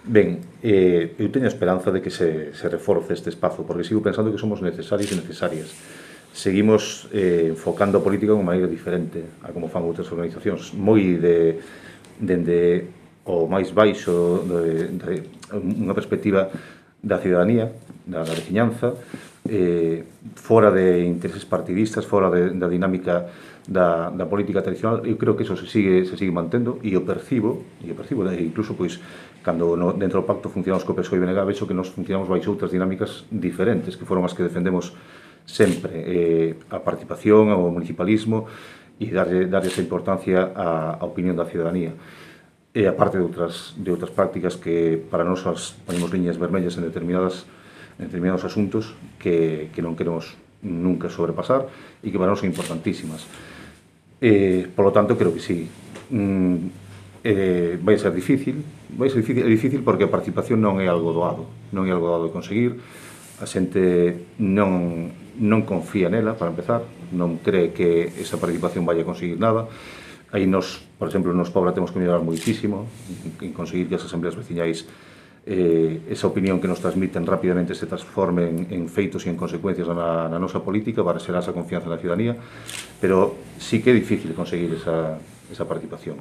Ben, eu teño a esperanza de que se reforce este espazo, porque sigo pensando que somos necesarios e necesarias. Seguimos enfocando a política de unha maneira diferente a como fan outras organizacións, moi dende o máis baixo de unha perspectiva da cidadanía, da veciñanza, fora de intereses partidistas, fora da dinámica da política tradicional. Eu creo que eso se sigue mantendo e o percibo, incluso pois cando dentro do pacto funcionamos co PSOE e BNG, vexo que nos funcionamos baixo outras dinámicas diferentes, que foron as que defendemos sempre, a participación, ao municipalismo e darlle esa importancia á opinión da cidadanía. E a parte de outras prácticas que para nós ponemos liñas vermellas en determinados asuntos que non queremos nunca sobrepasar e que para nós son importantísimas. Por lo tanto, creo que sí. Vai ser difícil porque a participación non é algo doado, de conseguir. A xente non confía nela, para empezar, non cree que esa participación vai a conseguir nada. Aí nos, por exemplo, nos Pobra temos que mellorar moitísimo en conseguir que as asambleas veciñais esa opinión que nos transmiten rapidamente se transforme en feitos e en consecuencias na nosa política para xerar esa confianza na ciudadanía, pero sí que é difícil conseguir esa participación.